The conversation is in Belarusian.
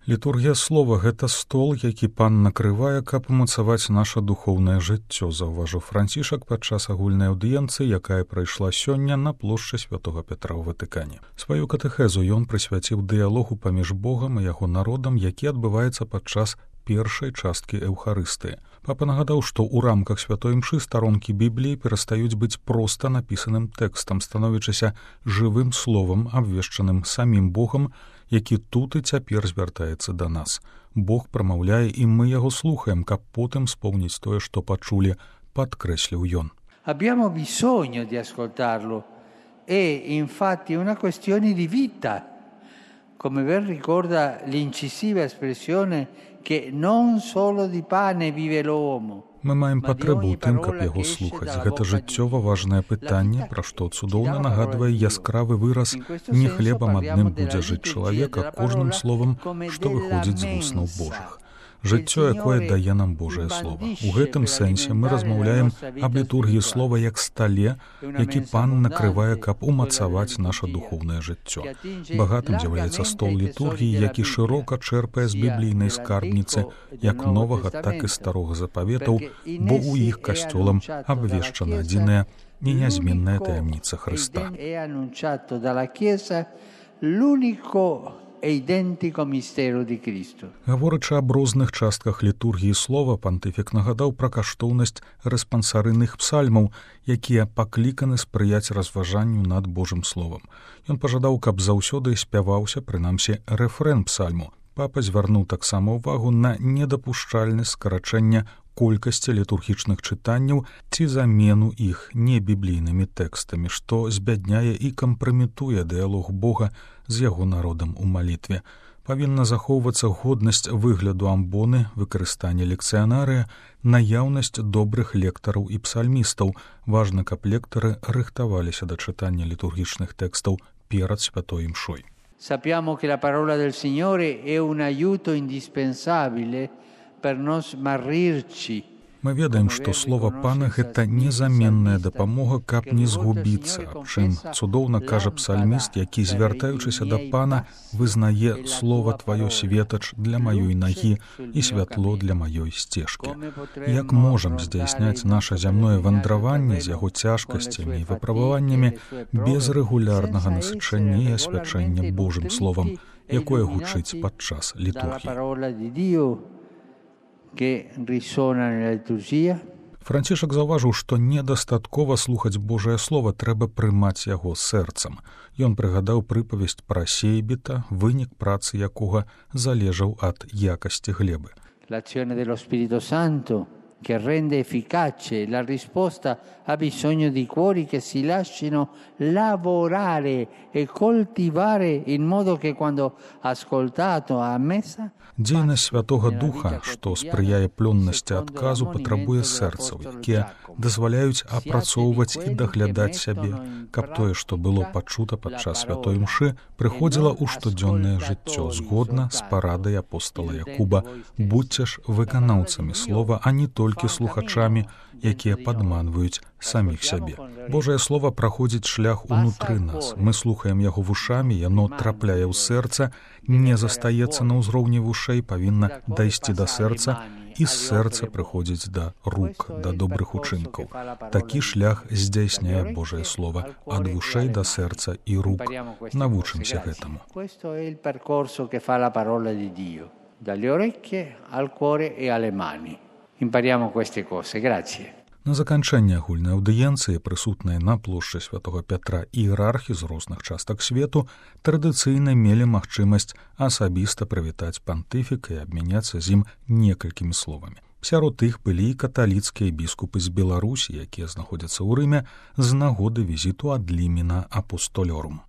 Літургія слова – гэта стол, які пан накрывае, каб умацаваць наша духоўнае жыццё, заўважыў Францішак падчас агульнай аўдыенцыі, якая прайшла сёння на плошчы Святога Пятра ў Ватыкане. Сваю катэхезу ён прысвяціў дыялогу паміж Богам і яго народам, які адбываецца падчас першай часткі эўхарыстыі. Папа нагадаў, што ў рамках святой імшы старонкі Бібліі перастаюць быць проста напісаным тэкстам, становячыся жывым словам, абвешчаным самім Богам, які тут і цяпер звяртаецца да нас. Бог прамаўляе, і мы яго слухаем, каб потым спомніць тое, што пачулі, падкрэсліў ён. Abbiamo bisogno di ascoltarlo. È infatti una questione di vita. Come ben ricorda l'incisiva espressione che non solo di pane vive l'uomo. Мы маем патрэбу ў тым, каб яго слухаць. Гэта жыццёва важнае пытанне, пра што цудоўна нагадвае яскравы выраз «Не хлебам адным будзе жыць чалавек, а кожным словам, што выходзіць з вуснаў Божых». Жыццё, якое дае нам Божае Слова. У гэтым сэнсе мы размаўляем аб літургіі слова як стале, які пан накрывае, каб умацаваць наша духоўнае жыццё. Багатым з'яўляецца стол літургіі, які шырока чэрпае з біблійнай скарбніцы, як новага, так і старога запаветаў, бо ў іх касцёлам абвешчана адзіная і нязменная таямніца Хрыста. Гаворачы аб розных частках літургіі слова, пантыфік нагадаў пра каштоўнасць рэспансарыйных псальмаў, якія пакліканы спрыяць разважанню над Божым словам. Ён пажадаў, каб заўсёды спяваўся, прынамсі, рэфрэн псальму. Папа звярнуў таксама ўвагу на недапушчальнасць скарачэння колькасці літургічных чытанняў ці замену іх небіблійнымі тэкстамі, што збядняе і кампраметуе дыялог Бога з яго народам у малітве. Павінна захоўвацца годнасць выгляду амбоны, выкарыстанне лекцыянарыя, наяўнасць добрых лектараў і псальмістаў. Важна, каб лектары рыхтаваліся да чытання літургічных тэкстаў перад святой імшой. Sappiamo che la parola del Signore è un aiuto indispensabile per non smarrirci. Мы ведаем, што слова пана – гэта незаменная дапамога, каб не згубіцца, аб чым цудоўна кажа псальміст, які, звяртаючыся да пана, вызнае «Слова тваё светач для маёй нагі і святло для маёй сцежкі». Як можам здзяйсняць наша зямное вандраванне з яго цяжкасцямі і выпрабаваннямі без рэгулярнага насычэння і асвячэння Божым словам, якое гучыць падчас літургіі. Францішак заўважыў, што недастаткова слухаць Божае Слова, трэба прымаць яго сэрцам. Ён прыгадаў прыпавесць пра сейбіта, вынік працы якога залежаў ад якасці глебы. L'azione dello Spirito Santo che rende efficace la risposta ha bisogno di cuori che si lasciano lavorare e coltivare in modo che quando ascoltato a messa. Дзейнасць Святога Духа, што спрыяе плённасці адказу, патрабуе сэрцаў, якія дазваляюць апрацоўваць і даглядаць сябе, каб тое, што было пачута падчас святой імшы, прыходзіла ў штодзённае жыццё згодна з парадай апостала Якуба. Будзьце ж выканаўцамі слова, а не толькі слухачамі, якія падманваюць саміх сябе. Божае Слова праходзіць шлях унутры нас. Мы слухаем яго вушамі, яно трапляе ў сэрца, не застаецца на ўзроўні вушэй, павінна дайсці да сэрца, і з сэрца прыходзіць да рук, да добрых учынкаў. Такі шлях здзяйсняе Божае Слова ад вушэй да сэрца і рук. Навучымся гэтаму. Dalle orecchie al cuore e alle mani. Impariamo queste cose. Grazie. На заканчэнне агульнай аўдыенцыі, прысутныя на плошчы Святога Пятра іерархі з розных частак свету, традыцыйна мелі магчымасць асабіста прывітаць пантыфіка і абмяняцца з ім некалькімі словамі. Сярод іх былі і каталіцкія біскупы з Беларусі, якія знаходзяцца ў Рыме з нагоды візіту ад лімена апостолёрум.